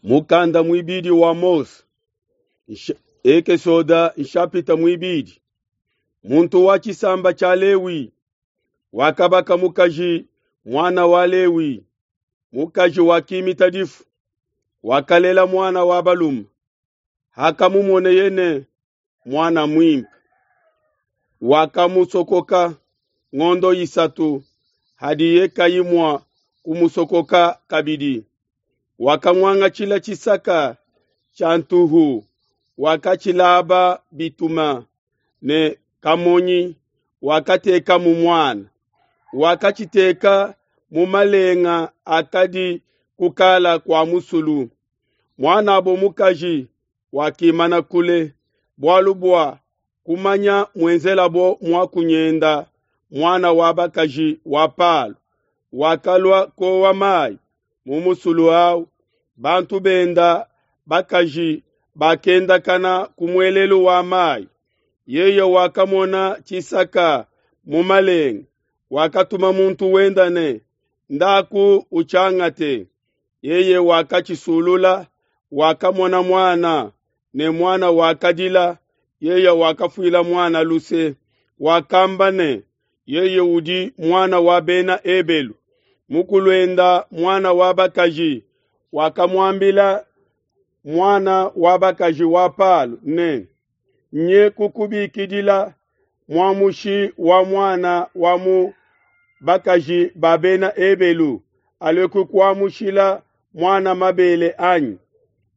Mukanda muibidi wa Mose, Ekesoda nshapita muibidi. Muntu wa tshisamba tshia Lewi wakabaka mukaji muana wa Lewi. Mukaji wakimita difu, wakalela muana wa balume. Hakamumoneye ne muana muimpe, wakamusokoka ngondo 3 hadiye kayi mua kumusokoka kabidi. Wakamuangatshila tshisaka tshia ntuhu, wakatshilaba bituma ne kamonyi, wakatekamu muana. Wakatshiteka mu malenga akadi kukala kua musulu. Muanabo mukaji wakimana kule, bualu bua kumanya muenzelabo muakunyenda muana wa bakaji wa Palo. Wakalua kowa mayi mu musulu awu. Bantu benda bakaji bakendakana ku muelelu wa mayi. Yeye wakamona tshisaka mu malenga, wakatuma muntu wenda ne, ndaku utshiangate. Yeye wakatshisulula, wakamona muana, ne muana wakadila. Yeye wakafuila muana luse, wakamba ne, yeye udi muana wa bena Ebelu. Mukuluenda muana wa bakaji wakamuambila muana wa bakaji wa Palo ne, nye kukubikidila muamushi wa muana wa mu bakaji ba bena Ebelu alue kukuamushila muana mabele anyi?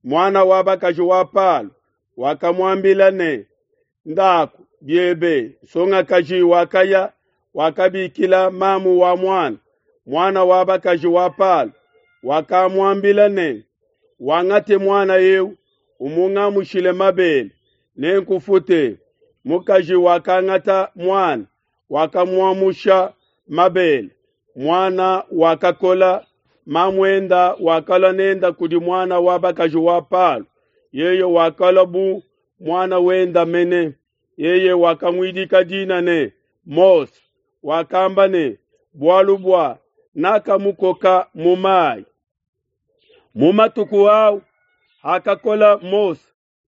Muana wa bakaji wa Palo wakamuambila ne, ndaku biebe. Nsongakaji wakaya, wakabikila mamu wa muana. Muana wa bakaji wa Palo wakamuambila ne, wangate muana eu umungamushile mabele, nenkufute. Mukaji wakangata muana, wakamuamusha mabele. Muana wakakola, mamuenda wakalua nenda kudi muana wa bakaji wa Palo. Yeye wakalua bu muana wenda mene. Yeye wakamuidika dina ne Mose, wakamba ne, bualu bua nakamukoka mu mayi. Mu matuku au hakakola Mose,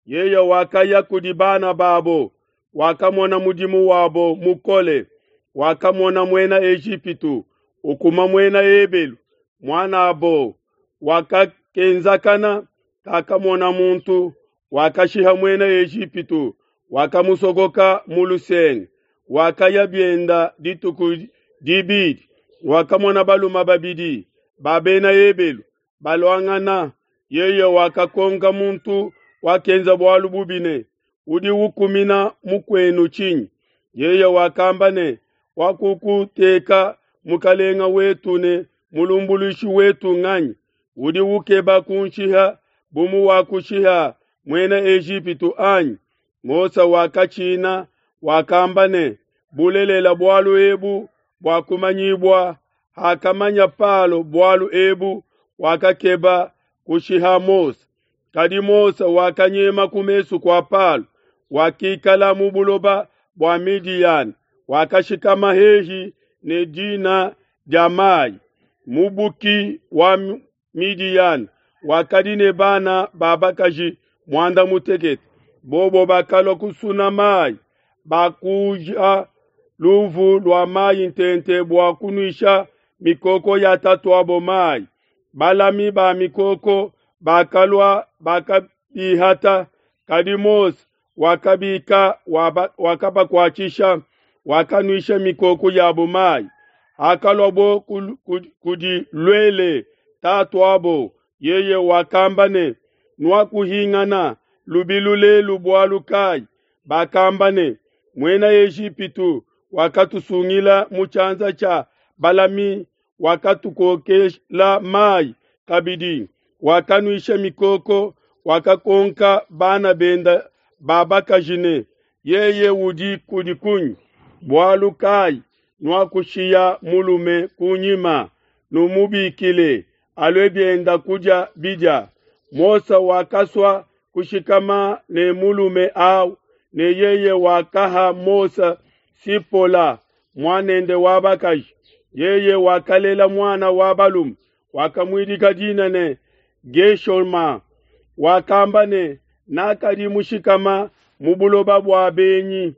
yeye wakaya kudi bana babo, wakamona mudimu wabo mukole, wakamona muena Ejipitu ukuma muena Ebelu muanabo, wakakenzakana kakamona muntu, wakashiha muena Ejipitu, wakamusokoka mu lusenge. Wakaya bienda dituku dibidi, wakamona baluma babidi ba bena Ebelu baluangana. Yeye wakakonka muntu wakenza bualu bubi ne, udi ukumina mukuenu tshinyi? Yeye wakamba ne, wakukuteka mukalenga wetu ne mulumbuluishi wetu nganyi? Udi ukeba kunshiha bu muwakushiha muena Ejipitu anyi? Mose wakatshina, wakamba ne, bulelela bualu ebu buakumanyibua. Hakamanya Palo bualu ebu, wakakeba kushiha Mose. Kadi Mose wakanyema ku mesu kua Palo, wakikala mu buloba bua Midiyana, wakashikama hehi ne dina dia mayi. Mubuki wa Midiyana wakadi ne bana ba bakaji 18. Bobo bakalua kusuna mayi, bakuja luvu lua mayi ntente bua kunuisha mikoko ya tatuabo mayi. Balami ba mikoko bakalua bakabihata, kadi Mose wakabika wakabakuatshisha, wakanuisha mikoko yabo mayi. Hakaluabo kudi Luele tatuabo, yeye wakamba ne, nuakuhingana lubilu lelu bualu kayi? Bakamba ne, muena Ejipitu wakatusungila mu tshianza tshia balami, wakatukokela mayi kabidi, wakanuisha mikoko, wakakonka bana benda ba bakaji ne, yeye udi kudi kunyi? Bualu kayi nuakushiya mulume kunyima? Numubikile alue bienda kudia bidia. Mose wakasua kushikama ne mulume au, ne yeye wakaha Mose Sipola muanende wa bakaji. Yeye wakalela muana wa balume, wakamuidika dina ne Geshoma. Wakamba ne, Nakadi mushikama mu buloba bua benyi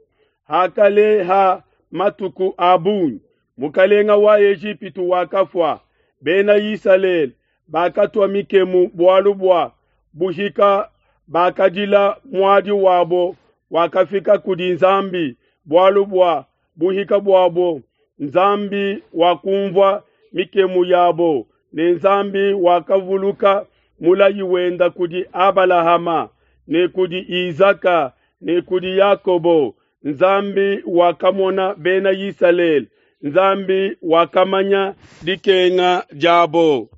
hakaleha matuku a bungi. Mukalenga wa Ejipitu wakafua, Bena Isalele bakatua mikemu bualu bua buhika, bakadila muadi wabo wakafika kudi Nzambi bualu bua buhika buabo. Nzambi wakumvua mikemu yabo, ne Nzambi wakavuluka mulayi wenda kudi Abalahama ne kudi Isaka ne kudi Yakobo. Nzambi wakamona Bena Isalele, Nzambi wakamanya dikenga diabo.